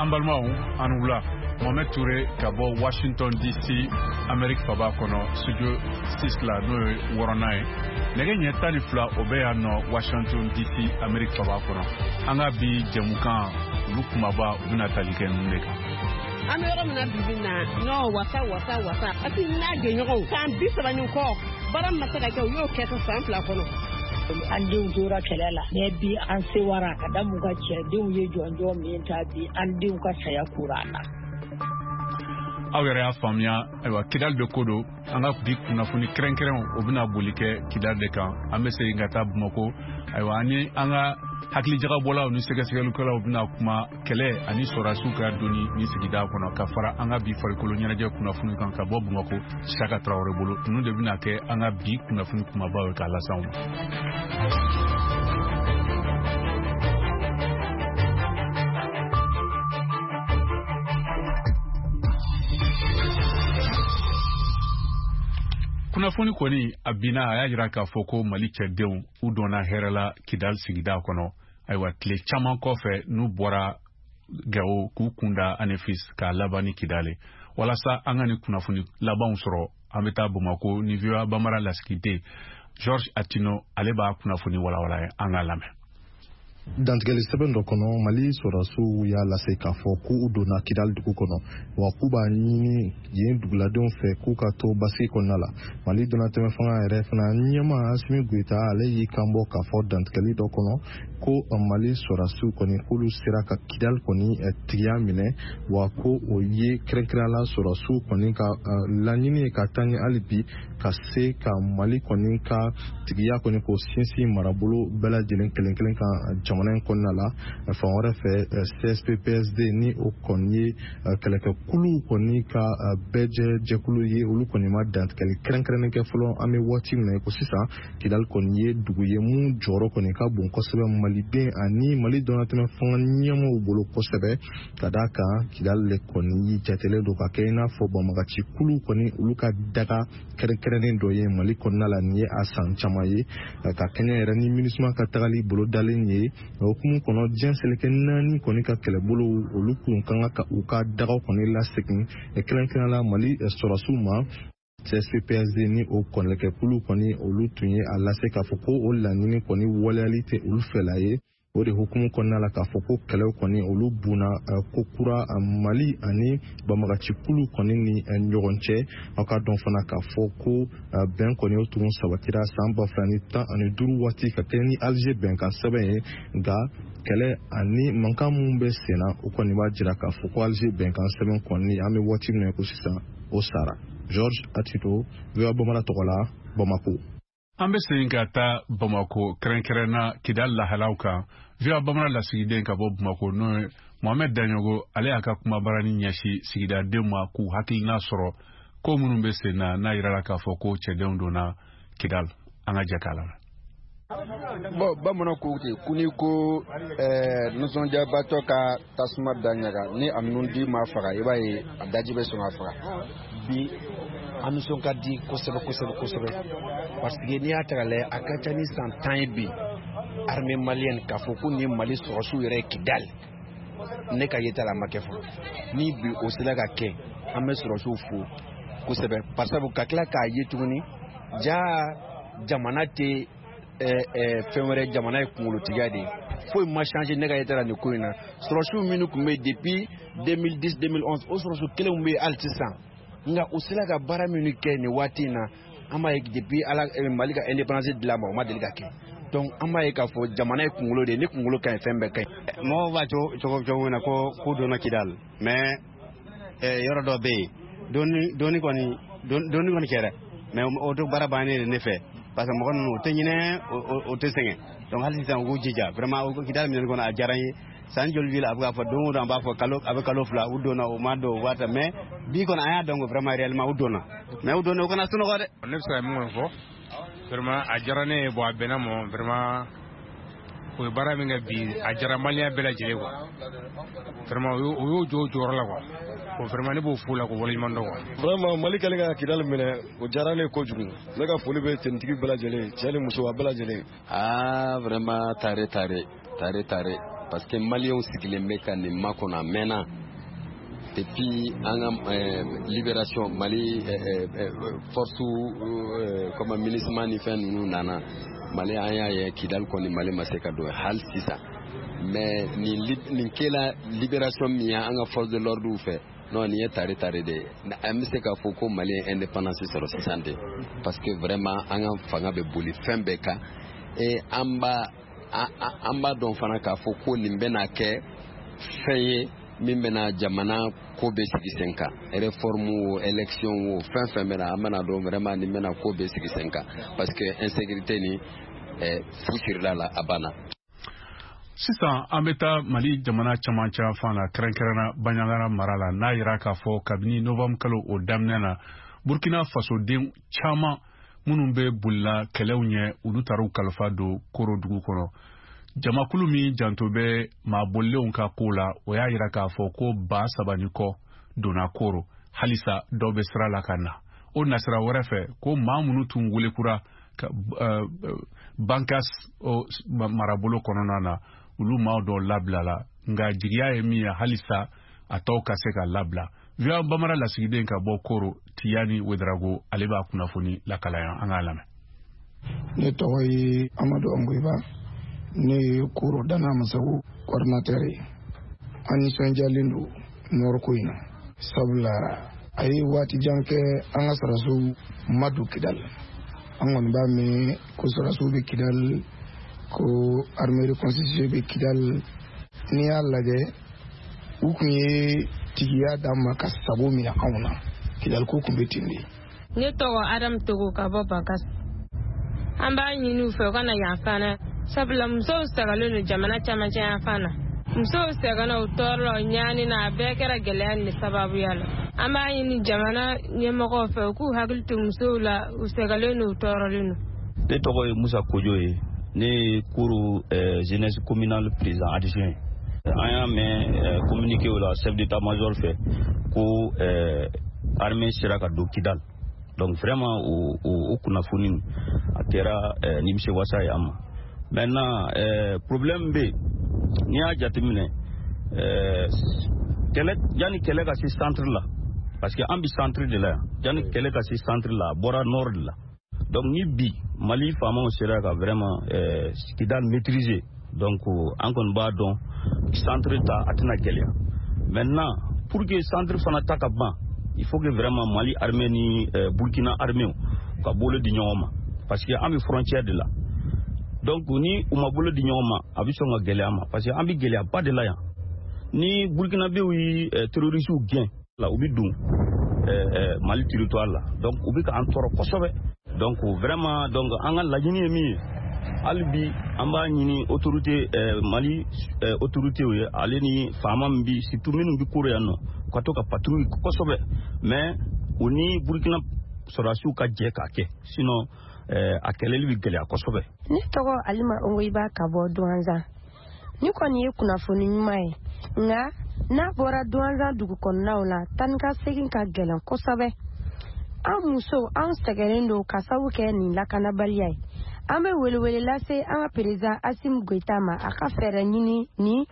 An balimaw, an wula. Mohamed Touré ka bɔ Washington DC, Amérique faba kɔnɔ, studio 6 la, n'o ye wɔɔrɔnan ye. Nɛgɛ ɲɛ 12, o bɛ yan nɔ Washington DC, Amérique faba kɔnɔ. An ka bi jɛmukan, olu kumaba, u bɛna tali kɛ ninnu de kan. An bɛ yɔrɔ min na bibi na, ɲɔgɔn wasa wasa wasa, parce que n'a jɛɲɔgɔnw san 30 ni kɔ, baara min ma se ka kɛ, u y'o kɛ san 2 kɔnɔ. An denw tora kɛlɛ la, mais bi an sewara ka da mun ka cɛdenw ye jɔnjɔn min ta bi, an denw ka saya kura an na. Aw yɛrɛ y'a faamuya, ayiwa, Kidali de ko don. An ka bi kunnafoni kɛrɛnkɛrɛnw, o bɛna boli kɛ Kidali de kan. An bɛ segin ka taa Bamako, ayiwa, ani an ka hakilijagabɔlaw ni sɛgɛsɛgɛlikɛlaw bɛna kuma kɛlɛ ani sɔrɔdasiw ka doni ni sigida kɔnɔ, ka fara an ka bi farikolo ɲɛnajɛ kunnafoni kan ka bɔ Bamako, Saka Tarawele bolo. Ninnu de bɛna kɛ an ka bi kunnafoni kumabaw ye k'a lase aw ma. Kunnafoni kɔni a binna, a y'a jira k'a fɔ ko Mali cɛdenw, u donna hɛrɛ la Kidali sigida kɔnɔ. Ayiwa, tile caman kɔfɛ n'u bɔra Gawo k'u kunda Anefis k'a laban ni Kidali. Walasa an ka nin kunnafoni labanw sɔrɔ, an bɛ taa Bamako ni VOA Bambara lasigiden George Atino, ale b'a kunnafoni walawala ye. An k'a lamɛn. Dantigɛli sɛbɛn dɔ kɔnɔ, Mali sɔrɔdasiw y'a lase k'a fɔ k'u donna Kidali dugu kɔnɔ, wa k'u b'a ɲini yen duguladenw fɛ k'u ka to basigi kɔnɔna la. Mali donnatɛmɛ fanga yɛrɛ fana ɲɛma, Asimi Goyita, ale y'i kan bɔ k'a fɔ dantigɛli dɔ kɔnɔ ko Mali sɔrɔdasiw kɔni, k'olu sera ka Kidali kɔni tigiya minɛ, wa ko o ye kɛrɛnkɛrɛnnenya la sɔrɔdasiw kɔni ka laɲini ye ka taa ɲɛ hali bi, ka se ka Mali kɔni ka tigiya kɔni k'o sinsin marabolo bɛɛ lajɛlen kelen kelen kan jamana in kɔnɔna la. Fan wɛrɛ fɛ, CSP-PSD, ni o kɔni ye kɛlɛkɛkulu kɔni ka bɛɛjɛ jɛkulu ye, olu kɔni ma dantigɛli kɛrɛnkɛrɛnnen kɛ fɔlɔ. An bɛ waati min na i ko sisan, Kidali kɔni ye dugu ye mun jɔyɔrɔ kɔni ka bon kosɛbɛ maliden ani Mali dɔnnatɛmɛ fanga ɲɛmaaw bolo kosɛbɛ, ka d'a kan Kidali de kɔni jatelen don ka kɛ i n'a fɔ banbagaci kulu kɔni olu ka daga kɛrɛnkɛrɛnnen dɔ ye Mali kɔnɔna la. Nin ye a san caman ye ka kɛɲɛ yɛrɛ ni MINUSMA ka tagali bolodalen ye. O hukumu kɔnɔ, diɲɛ seleke naani kɔni ka kɛlɛbolo, olu kun kan ka u ka dagaw kɔni lasegin, kɛrɛnkɛrɛnnenya la Mali sɔrɔdasiw ma. CSP-PSD ni o kɔnɛkɛkulu kɔni, olu tun ye a lase k'a fɔ ko o laɲini kɔni waleyali tɛ olu fɛla ye. O de hukumu kɔnɔna la, k'a fɔ ko kɛlɛw kɔni olu bunna ko kura Mali ani banbagacikulu kɔni ni ɲɔgɔn cɛ. Aw ka dɔn fana k'a fɔ ko bɛn kɔni o tun sabatira san 2015 waati ka kɛ ni Alger bɛnkan sɛbɛn ye, nka kɛlɛ ani mankan minnu bɛ sen na, o kɔni b'a jira k'a fɔ ko Alger bɛnkan sɛbɛn kɔni, an bɛ waati min na ko sisan, o sara. George Atito, VOA Bambara tɔgɔ la, Bamako. An bɛ segin ka taa Bamako, kɛrɛnkɛrɛnna Kidali lahalaw kan. VOA Bambara lasigiden ka bɔ Bamako, n'o ye Mohamed Daɲogo, ale y'a ka kumabarani ɲɛsin sigidadenw ma k'u hakilina sɔrɔ ko minnu bɛ sen na, n'a yirala k'a fɔ ko cɛdenw donna Kidali. An ka jɛ k'a lamɛn. Bon, bamananw ko ten ko n'i ko nisɔndiyabatɔ ka tasuma da ɲaga ni a nun di ma faga, i b'a ye a daji bɛ sɔn ka faga. Bi an nisɔn ka di kosɛbɛ kosɛbɛ kosɛbɛ, parce que n'i y'a ta k'a lajɛ, a ka ca ni san 10 ye bi, armée malienne k'a fɔ ko nin ye Mali sɔrɔdasiw yɛrɛ ye Kidali, ne ka yeta la, a ma kɛ fɔlɔ. Ni bi o sera ka kɛ, an bɛ sɔrɔdasiw fo kosɛbɛ, par sabu ka tila k'a ye tuguni ja jamana tɛ fɛn wɛrɛ, jamana ye kunkolotigiya de ye. Foyi ma changer ne ka yeta la nin ko in na. Sɔrɔdasiw minnu tun bɛ yen depuis 2010, 2011, o sɔrɔdasiw kelenw bɛ yen hali sisan, nka u sera ka baara minnu kɛ nin waati in na, an b'a ye depuis ala Mali ka indépendance dilan ma, o ma deli ka kɛ. Donc an b'a ye k'a fɔ jamana ye kunkolo de ye. Ni kunkolo ka ɲi, fɛn bɛɛ ka ɲi. Mɔgɔw b'a cogo cogo min na ko k'u donna Kidali, mais yɔrɔ dɔ bɛ yen, doni doni kɔni doni kɔni kɛra, mais o to baara bannen de ne fɛ, parce que mɔgɔ ninnu u tɛ ɲinɛ, o tɛ sɛgɛn. Donc hali sisan u k'u jija vraiment Kidali minɛli kɔnɔ, a diyara n ye. San joli bi la, a bɛ k'a fɔ don o don, an b'a fɔ kalo a bɛ kalo 2, u donna, u ma don, u b'a ta, mais bi kɔni an y'a dɔn ko vraiment réellement u donna. Mais u donna, u kana sunɔgɔ dɛ. Ne bɛ se ka min kɔni fɔ, vraiment a diyara ne ye. Bon, a bɛnna ma vraiment. O ye baara min kɛ bi, a diyara maliyɛn bɛɛ lajɛlen quoi. Vraiment o y'o jɔ o jɔyɔrɔ la quoi. Bon, vraiment ne b'o fo la k'o waleɲuman dɔn quoi. Vraiment, Mali kɛlen ka Kidali minɛ, o diyara ne ye kojugu. Ne ka foli bɛ tenitigi bɛɛ lajɛlen, cɛ ni muso, a bɛɛ lajɛlen. Ah, vraiment, tare tare tare tare. Parce que Maliyɛnw sigilen bɛ ka nin makɔnɔ a mɛnna. Depuis an ka libération, Mali force comme MINUSMA ni fɛn ninnu nana Mali, an y'a ye Kidali kɔni, Mali ma se ka don hali sisan. Mais nin kɛla libération min ye an ka force de l'ordre fɛ, non, nin ye tare tare de ye. An bɛ se k'a fɔ ko Mali ye indépendance sɔrɔ sisan de, parce que vraiment an ka fanga bɛ boli fɛn bɛɛ kan. Et an b'a dɔn fana k'a fɔ ko nin bɛna kɛ fɛn ye min bɛna jamana ko bɛ sigi sen kan. Réforme o, élection o, fɛn fɛn bɛna, an bɛna dɔn vraiment nin bɛna ko bɛ sigi sen kan, parce que insécurité ni fu sirila la, a banna. Sisan an bɛ taa Mali jamana camancɛ fan na, kɛrɛnkɛrɛnna Banjagara mara la, n'a yira k'a fɔ kabini novembre kalo o daminɛ na, Burkina Fasoden caman minnu bɛ bolila kɛlɛw ɲɛ, olu taara u kalifa don Koro dugu kɔnɔ. Jamakulu min janto bɛ maa bolilenw ka ko la, o y'a yira k'a fɔ ko 3000 ni kɔ donna Koro. Halisa dɔw bɛ sira la ka na. O nasira wɛrɛ fɛ, ko maa minnu tun welekura ka Bankas marabolo kɔnɔna na, olu maa dɔw labilala, nka jigiya ye min ye, halisa a tɔw ka se ka labila. VOA Bambara lasigiden ka bɔ Koro, Tiyani Wedarago, ale b'a kunnafoni lakalaya. An k'a lamɛn. Ne tɔgɔ ye Amadu Angoyiba, ne ye Koro Dana Masago coordinateur ye. An nisɔndiyalen don nord ko in na, sabula a ye waati jan kɛ an ka sɔrɔdasiw ma don Kidali. An kɔni b'a mɛn ko sɔrɔdasiw bɛ Kidali, ko armée reconstituée bɛ Kidali. N'i y'a lajɛ, u kun ye tigiya d'an ma ka sago minɛ anw na. Kidali ko kun bɛ ten de. Ne tɔgɔ Adamu Togo ka bɔ Bankas. An b'a ɲini u fɛ u ka na yan fana, sabula musow sɛgɛnlen don jamana camancɛ yan fan na. Musow sɛgɛnna, u tɔɔrɔla, u ɲaani na, a bɛɛ kɛra gɛlɛya nin sababuya la. An b'a ɲini jamana ɲɛmɔgɔw fɛ u k'u hakili to musow la, u sɛgɛnlen don, u tɔɔrɔlen don. Ne tɔgɔ ye Musa Kojo ye, ne ye Koro jeunesse communale président adjoint. An y'a mɛn communiqué la chef d'état major fɛ ko armée sera ka don Kidal. Donc vraiment o kunnafoni a kɛra nimisiwasa ye an ma. Maintenant, problème bɛ yen. N'i y'a jateminɛ, kɛlɛ, yanni kɛlɛ ka se centre la, parce que an bɛ centre de la yan, yanni kɛlɛ ka se centre la, a bɔra nord de la. Donc ni bi Mali faamaw sera ka vraiment Kidal maîtriser, donc an kɔni b'a dɔn centre ta a tɛna gɛlɛya. Maintenant, pour que centre fana ta ka ban, il faut que vraiment Mali armée ni Burkina armée ka bolo di ɲɔgɔn ma, parce que an bɛ frontière de la. Donc ni u ma bolo di ɲɔgɔn ma, a bɛ sɔn ka gɛlɛya ma, parce que an bɛ gɛlɛyaba de la yan. Ni Burkinabéw ye terroristes gɛn la, u bɛ don Mali territoire la, donc u bɛ k'an tɔɔrɔ kosɛbɛ. Donc vraiment, donc an ka laɲini ye min ye hali bi, an b'a ɲini autorité Mali autorité ye, ale ni faama min bi, surtout minnu bi Koro yan nɔ, u ka to ka patrouille kosɛbɛ, mais u ni Burkina sɔrɔdasiw ka jɛ k'a kɛ, sinon a kɛlɛli bɛ gɛlɛya kosɛbɛ. Ne tɔgɔ Alima Ongoyiba ka bɔ Duwanzan. Ni kɔni ye kunnafoni ɲuman ye, nka n'a bɔra Duwanzan dugu kɔnɔnaw la, taa ni ka segin ka gɛlɛn kosɛbɛ. An musow, an sɛgɛnnen don ka sabu kɛ nin lakanabaliya ye. An bɛ welewele lase an ka président Assimi Goïta ma, a ka fɛɛrɛ ɲini ni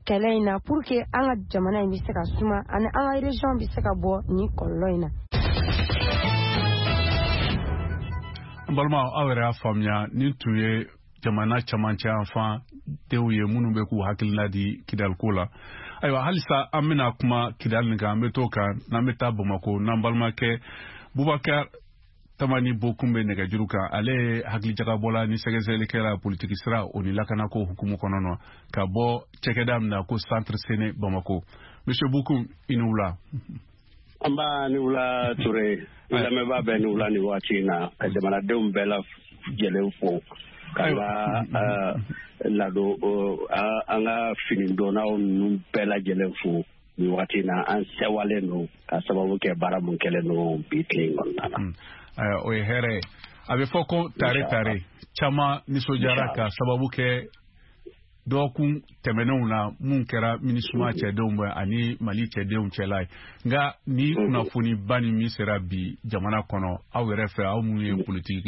kɛlɛ in na pour que an ka jamana in bɛ se ka suma ani an ka région bɛ se ka bɔ nin kɔlɔlɔ in na. N balimaw, aw yɛrɛ y'a faamuya, nin tun ye jamana camancɛ yanfan denw ye minnu bɛ k'u hakilina di Kidaliko la. Ayiwa, halisa an bɛna kuma Kidali nin kan, an bɛ t'o kan n'an bɛ taa Bamako, n'an balimakɛ Bubakar Tamani Bokun bɛ nɛgɛjuru kan. Ale ye hakilijagabɔla ni sɛgɛsɛgɛlikɛla politiki sira o ni lakanako hukumu kɔnɔ na, ka bɔ cɛkɛda min na ko Centre Sene Bamako. Monsieur Bokun, i ni wula. An b'a ni wula Ture, lamɛnbaa bɛɛ ni wula ni waati in na, ka jamanadenw bɛɛ lajɛlen fo, ka ka ladon an ka finidonnaw ninnu bɛɛ lajɛlen fo ni waati in na. An sɛwalen don ka sababu kɛ baara mun kɛlen don bi tile in kɔnɔna na. O ye hɛrɛ ye. A bɛ fɔ ko tare tare, caman nisɔndiyara ka sababu kɛ dɔgɔkun tɛmɛnenw na mun kɛra MINUSMA cɛdenw bɛ ani Mali cɛdenw cɛla ye. Nka ni kunnafoniba ni min sera bi jamana kɔnɔ, aw yɛrɛ fɛ, aw minnu ye politiki